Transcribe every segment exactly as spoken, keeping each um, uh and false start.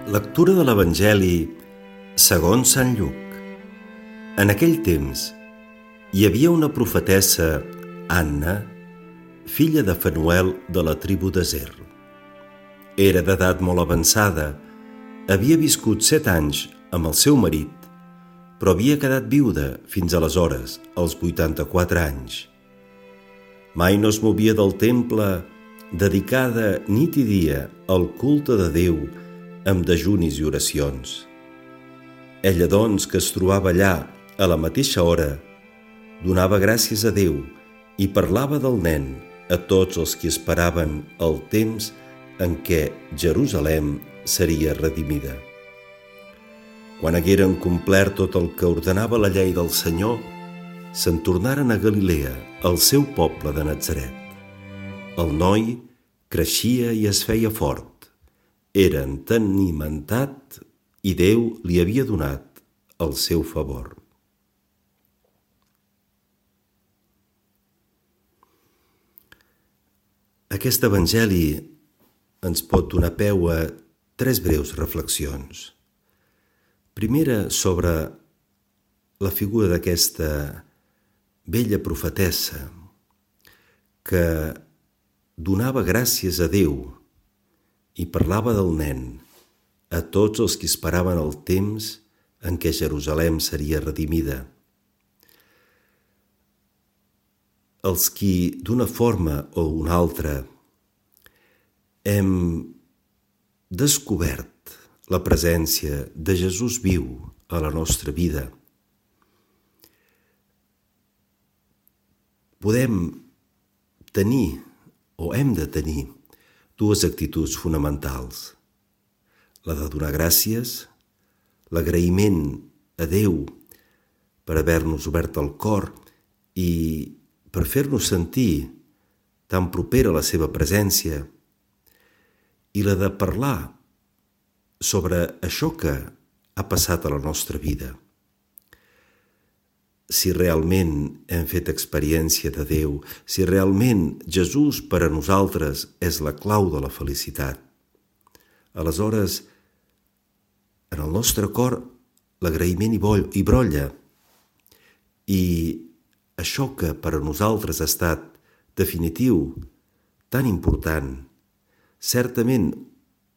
Lectura de l'Evangeli segons Sant Lluc. En aquell temps hi havia una profetessa, Anna, filla de Fanuel de la tribu d'Aser. Era d'edat molt avançada, havia viscut set anys amb el seu marit, però havia quedat viuda fins aleshores, als vuitanta-quatre anys. Mai no es movia del temple, dedicada nit i dia al culte de Déu, amb dejunis i oracions. Ella, doncs, que es trobava allà a la mateixa hora, donava gràcies a Déu i parlava del nen a tots els que esperaven el temps en què Jerusalem seria redimida. Quan hagueren complert tot el que ordenava la llei del Senyor, se'n tornaren a Galilea, al seu poble de Natzaret. El noi creixia i es feia fort. Era entenimentat i Déu li havia donat el seu favor. Aquest evangeli ens pot donar peu a tres breus reflexions. Primera, sobre la figura d'aquesta vella profetessa que donava gràcies a Déu i parlava del nen a tots els que esperaven el temps en què Jerusalem seria redimida. Els qui, d'una forma o una altra, hem descobert la presència de Jesús viu a la nostra vida, podem tenir o hem de tenir dues actituds fonamentals: la de donar gràcies, l'agraïment a Déu per haver-nos obert el cor i per fer-nos sentir tan propera a la seva presència, i la de parlar sobre això que ha passat a la nostra vida. Si realment hem fet experiència de Déu, si realment Jesús per a nosaltres és la clau de la felicitat, aleshores en el nostre cor l'agraïment hi brolla, i això que per a nosaltres ha estat definitiu, tan important, certament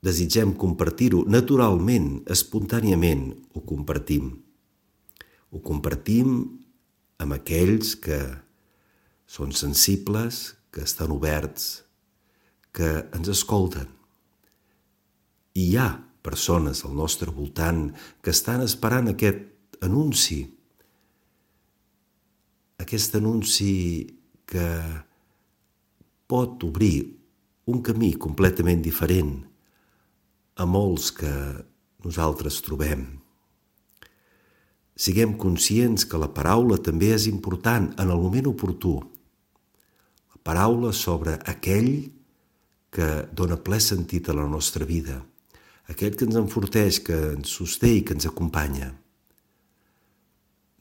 desitgem compartir-ho naturalment, espontàniament ho compartim. Ho compartim amb aquells que són sensibles, que estan oberts, que ens escolten. I hi ha persones al nostre voltant que estan esperant aquest anunci, aquest anunci que pot obrir un camí completament diferent a molts que nosaltres trobem. Siguem conscients que la paraula també és important en el moment oportú. La paraula sobre aquell que dona ple sentit a la nostra vida, aquell que ens enforteix, que ens sosté i que ens acompanya.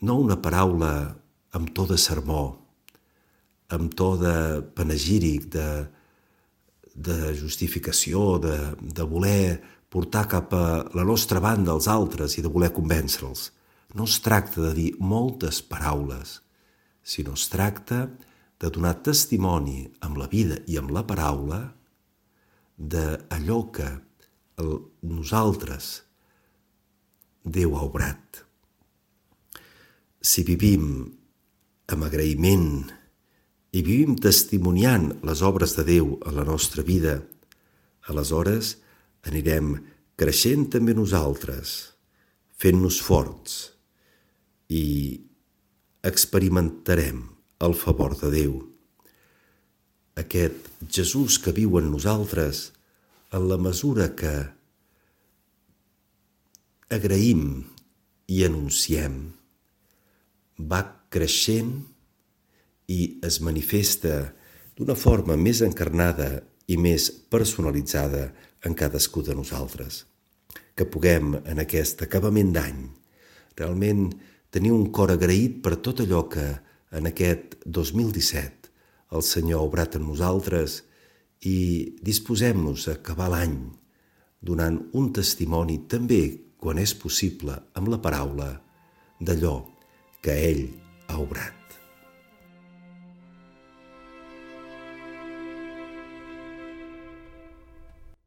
No una paraula amb to de sermó, amb to de panegíric, de, de justificació, de, de voler portar cap a la nostra banda els altres i de voler convèncer-los. No es tracta de dir moltes paraules, sinó es tracta de donar testimoni amb la vida i amb la paraula d'allò que el, nosaltres Déu ha obrat. Si vivim amb agraïment i vivim testimoniant les obres de Déu a la nostra vida, aleshores anirem creixent també nosaltres, fent-nos forts, i experimentarem el favor de Déu. Aquest Jesús que viu en nosaltres, en la mesura que agraïm i anunciem, va creixent i es manifesta d'una forma més encarnada i més personalitzada en cadascú de nosaltres. Que puguem, en aquest acabament d'any, realment tenir un cor agraït per tot allò que en aquest dos mil disset el Senyor ha obrat en nosaltres i disposem-nos a acabar l'any donant un testimoni també, quan és possible, amb la paraula, d'allò que ell ha obrat.